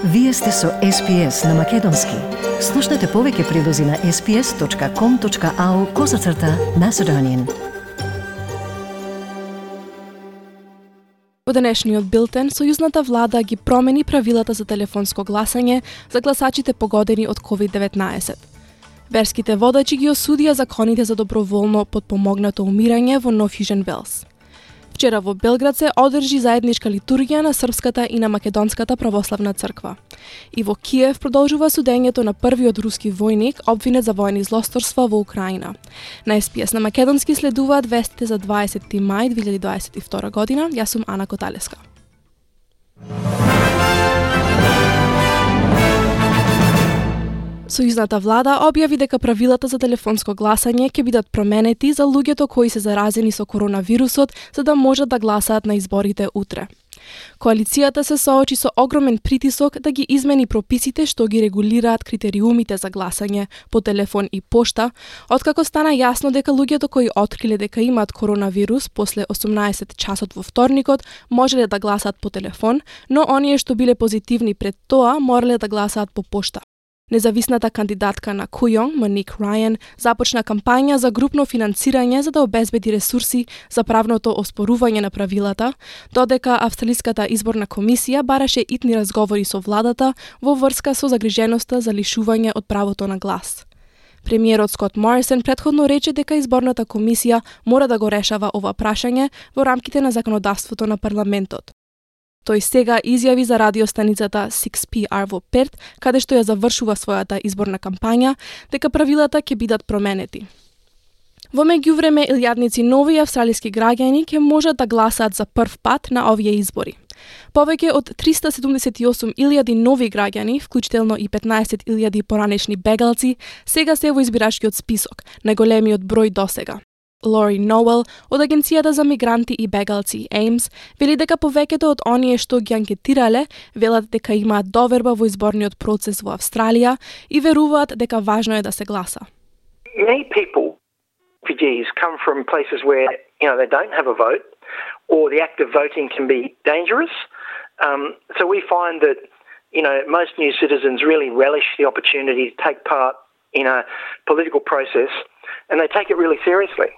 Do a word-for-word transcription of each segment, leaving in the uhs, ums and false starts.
Вие сте со Ес Пи Ес на Македонски. Слушнете повеќе прилози на ес пи ес точка ком точка ау козацрта Macedonian. Во денешниот билтен, сојузната влада ги промени правилата за телефонско гласање за гласачите погодени од ковид деветнаесет. Верските водачи ги осудија законите за доброволно подпомогнато умирање во Нов Јужен Велс. Вчера во Белград се одржи заедничка литургија на српската и на македонската православна црква. И во Киев продолжува судењето на првиот руски војник обвинет за војни злосторства во Украина. На Ес Пи Ес на Македонски следуваат вестите за дваесети мај две илјади дваесет и втора година. Јас сум Ана Коталеска. Сојузната влада објави дека правилата за телефонско гласање ќе бидат променети за луѓето кои се заразени со коронавирусот, за да можат да гласаат на изборите утре. Коалицијата се соочи со огромен притисок да ги измени прописите што ги регулираат критериумите за гласање по телефон и пошта, откако стана јасно дека луѓето кои откриле дека имаат коронавирус после осумнаесет часот во вторникот можеле да гласаат по телефон, но оние што биле позитивни пред тоа морале да гласаат по пошта. Независната кандидатка на Кујонг, Моник Рајан, започна кампања за групно финансирање за да обезбеди ресурси за правното оспорување на правилата, додека Австралиската изборна комисија бараше итни разговори со владата во врска со загриженоста за лишување од правото на глас. Премиерот Скот Морисон претходно рече дека изборната комисија мора да го решава ова прашање во рамките на законодавството на парламентот. Тој сега изјави за радиостаницата шест Пи Ар во Перт, каде што ја завршува својата изборна кампања, дека правилата ќе бидат променети. Во меѓувреме, илјадници нови австралиски граѓани ќе можат да гласаат за прв пат на овие избори. Повеќе од триста седумдесет и осум илјади нови граѓани, вклучително и петнаесет илјади поранешни бегалци, сега се во избирачкиот список, најголемиот број досега. Лори Ноел од Агенцијата за мигранти и бегалци Еймс вели дека повеќето од оние што ги анкетирале велат дека имаат доверба во изборниот процес во Австралија и веруваат дека важно е да се гласа. Many people, refugees, come from places where, you know, they don't have a vote or the act of voting can be dangerous. Um, so we find that, you know, most new citizens really relish the opportunity to take part in a political process and they take it really seriously.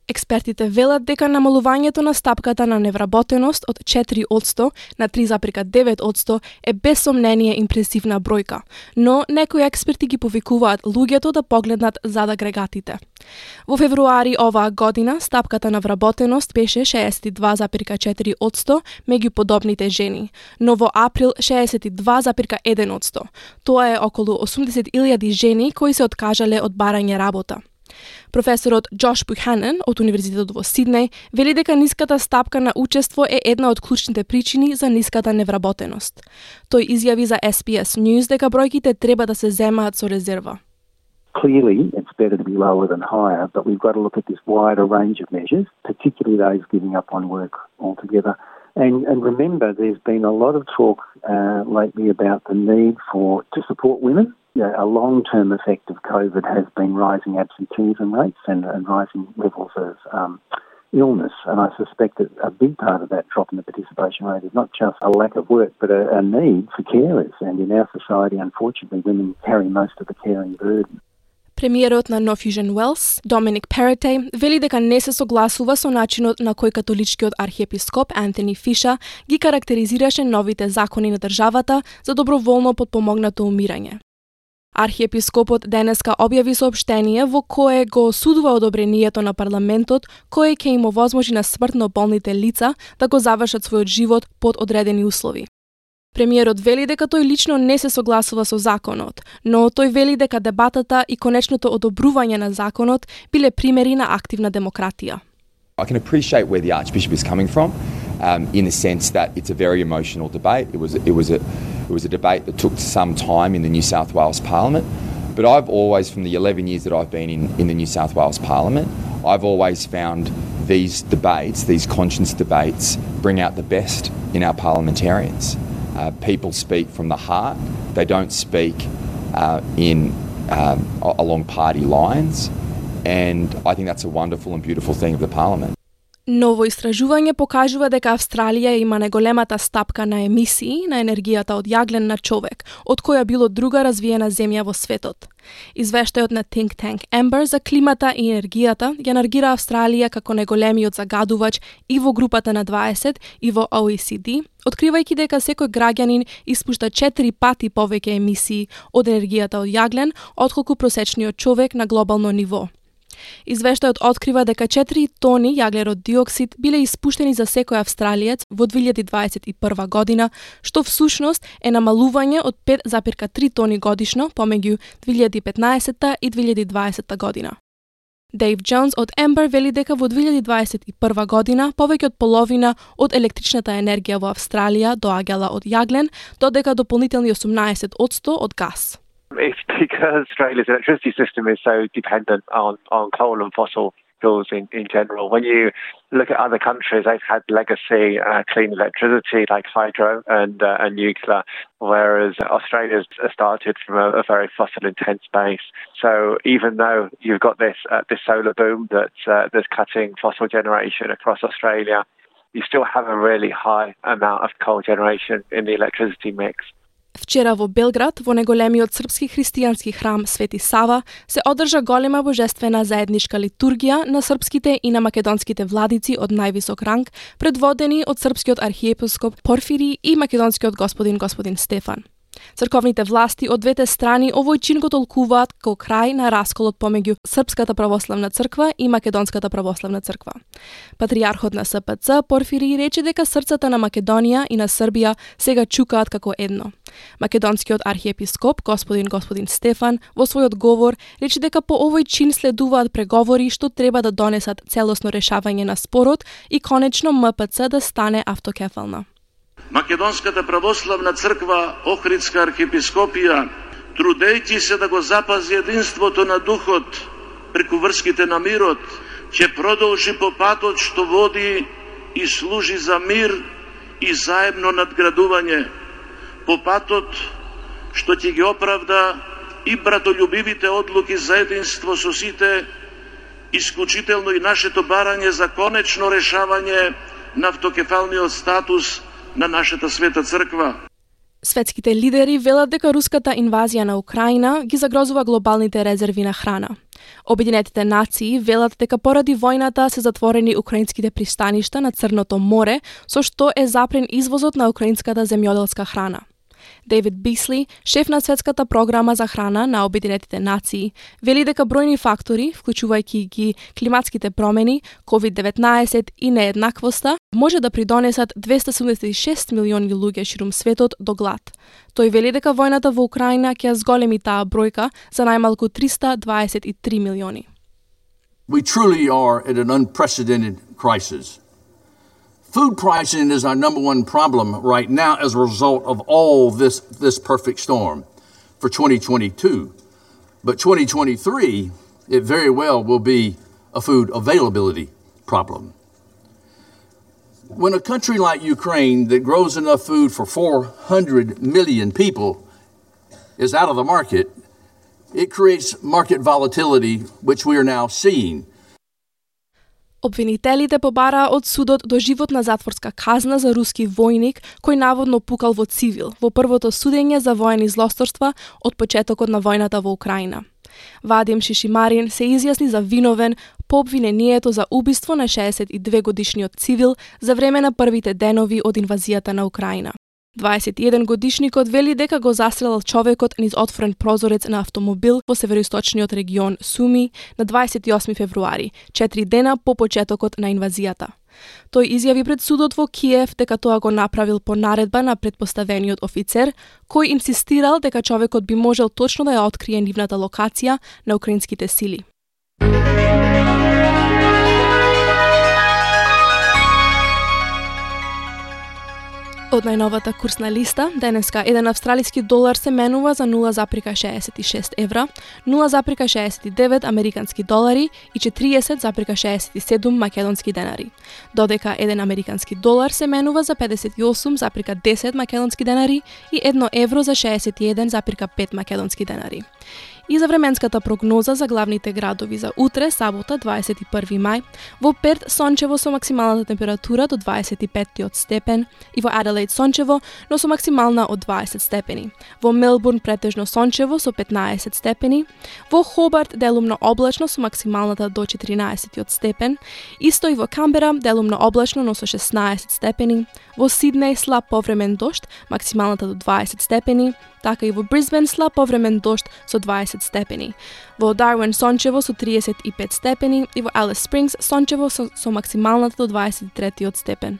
Експертите велат дека намалувањето на стапката на невработеност од четири одсто на три запирка девет одсто е без сомнение импресивна бројка, но некои експерти ги повикуваат луѓето да погледнат зад агрегатите. Во февруари оваа година стапката на вработеност беше шеесет и два запирка четири одсто меѓу подобните жени, но во април шеесет и два запирка еден одсто. Тоа е околу осумдесет илјади жени кои се откажале од барање работа. Професорот Джош Буханен од Универзитетот во Сиднеј вели дека ниската стапка на учество е една од клучните причини за ниската невработеност. Тој изјави за Ес Пи Ес News дека бројките треба да се земаат со резерва. Clearly, it's better to be lower than higher, but we've got to look at this wider range of measures, particularly those giving up on work altogether. And, and remember, there's been a lot of talk uh, lately about the need for to support women. Yeah, a long-term effect of COVID has been rising absenteeism rates and, and rising levels of um, illness. And I suspect that a big part of that drop in the participation rate is not just a lack of work, but a, a need for carers. And in our society, unfortunately, women carry most of the caring burden. Премиерот на Нов Јужен Велс, Доминик Перотеј, вели дека не се согласува со начинот на кој католичкиот архиепископ Антони Фиша ги карактеризираше новите закони на државата за доброволно подпомогнато умирање. Архиепископот денеска објави соопштение во кое го осудува одобрението на парламентот кое ќе им овозможи на смртно болните лица да го завршат својот живот под одредени услови. Премиерот вели дека тој лично не се согласува со законот, но тој вели дека дебатата и конечното одобрување на законот биле примери на активна демократија. I can appreciate where the Archbishop is coming from, um, in the sense that it's a very emotional debate. It was it was a it was a debate that took some time in the New South Wales Parliament. But I've always, from the eleven years that I've been in, in the New South Wales Parliament, I've always found these debates, these conscience debates, bring out the best in our parliamentarians. Uh, people speak from the heart. They don't speak uh, in um, along party lines. And I think that's a wonderful and beautiful thing of the Parliament. Ново истражување покажува дека Австралија има најголемата стапка на емисии на енергијата од јаглен на човек, од која било друга развиена земја во светот. Извештајот на Think Tank Amber за климата и енергијата ја наргира Австралија како најголемиот загадувач и во групата на дваесет и во O E C D, откривајќи дека секој граѓанин испушта четири пати повеќе емисии од енергијата од јаглен отколку просечниот човек на глобално ниво. Извештајот открива дека четири тони јаглерод диоксид биле испуштени за секој австралиец во две илјади дваесет и прва година, што всушност е намалување од пет зарез три тони годишно помеѓу две илјади петнаесетта и две илјади дваесетта година. Дейв Джонс од Amber вели дека во две илјади дваесет и прва година повеќе од половина од електричната енергија во Австралија доаѓала од јаглен, додека дополнителни осумнаесет одсто од газ. It's because Australia's electricity system is so dependent on, on coal and fossil fuels in, in general. When you look at other countries, they've had legacy uh, clean electricity like hydro and, uh, and nuclear, whereas Australia's started from a, a very fossil-intense base. So even though you've got this uh, this solar boom that's, uh, that's cutting fossil generation across Australia, you still have a really high amount of coal generation in the electricity mix. Вчера во Белград, во најголемиот српски христијански храм Свети Сава, се одржа голема божествена заедничка литургија на српските и на македонските владици од највисок ранг, предводени од српскиот архиепископ Порфири и македонскиот господин господин Стефан. Црковните власти од двете страни овој чин го толкуваат како крај на расколот помеѓу Српската православна црква и Македонската православна црква. Патријархот на С П Ц Порфири рече дека срцата на Македонија и на Србија сега чукаат како едно. Македонскиот архиепископ господин господин Стефан во својот говор рече дека по овој чин следуваат преговори што треба да донесат целосно решавање на спорот и конечно М П Ц да стане автокефална. Македонската православна црква, Охридска архиепископија, трудејќи се да го запази единството на духот преку врските на мирот, ќе продолжи по патот што води и служи за мир и заедно надградување, по патот што ќе ги оправда и братолюбивите одлуки за единство со сите, исклучително и нашето барање за конечно решавање на автокефалниот статус на нашата света црква. Светските лидери велат дека руската инвазија на Украина ги загрозува глобалните резерви на храна. Обединетите нации велат дека поради војната се затворени украинските пристаништа на Црното море, со што е запрен извозот на украинската земјоделска храна. Дейвид Бисли, шеф на Светската програма за храна на Обединетите нации, вели дека бројни фактори, вклучувајќи ги климатските промени, ковид деветнаесет и нееднаквоста, може да придонесат двесте седумдесет и шест милиони луѓе ширум светот до глад. Тој вели дека војната во Украина ќе зголеми таа бројка за најмалку триста дваесет и три милиони. We truly are at an unprecedented crisis. Food pricing is our number one problem right now as a result of all this, this perfect storm for twenty twenty-two. But twenty twenty-three, it very well will be a food availability problem. When a country like Ukraine that grows enough food for four hundred million people is out of the market, it creates market volatility, which we are now seeing. Обвинителите побараа од судот доживотна затворска казна за руски војник кој наводно пукал во цивил во првото судење за воени злосторства од почетокот на војната во Украина. Вадим Шишимарин се изјасни за виновен по обвинението за убиство на шеесет и две годишниот цивил за време на првите денови од инвазијата на Украина. дваесет и еден годишникот вели дека го застрелал човекот низ отворен прозорец на автомобил во североисточниот регион Суми на дваесет и осми февруари, четири дена по почетокот на инвазијата. Тој изјави пред судот во Киев дека тоа го направил по наредба на претпоставениот офицер, кој инсистирал дека човекот би можел точно да ја открие нивната локација на украинските сили. Од најновата курсна листа, денеска еден австралиски долар се менува за нула зарез шеесет и шест евра, нула зарез шеесет и девет американски долари и четириесет зарез шеесет и седум македонски денари, додека еден американски долар се менува за педесет и осум зарез десет македонски денари и едно евро за шеесет и еден зарез пет македонски денари. И за временската прогноза за главните градови за утре, сабота, дваесет и први мај, во Перт сончево со максималната температура до дваесет и пет степен и во Аделаид сончево, но со максимална од дваесет степени. Во Мелбурн претежно сончево со петнаесет степени, во Хобарт делумно облачно со максималната до четиринаесет степен, исто и во Камбера делумно облачно но со шеснаесет степени, во Сиднеј слаб повремен дожд, максималната до дваесет степени, така и во Брисбен слаб повремен дожд со дваесет степени. Во Дарвин сончево со триесет и пет степени и во Алис Спрингс сончево со, со максималната до дваесет и трети степен.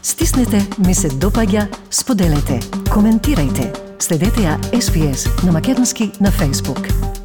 Стиснете, ми се допаѓа, споделете, коментирајте. Следете ја Ес Би Ес на македонски на Facebook.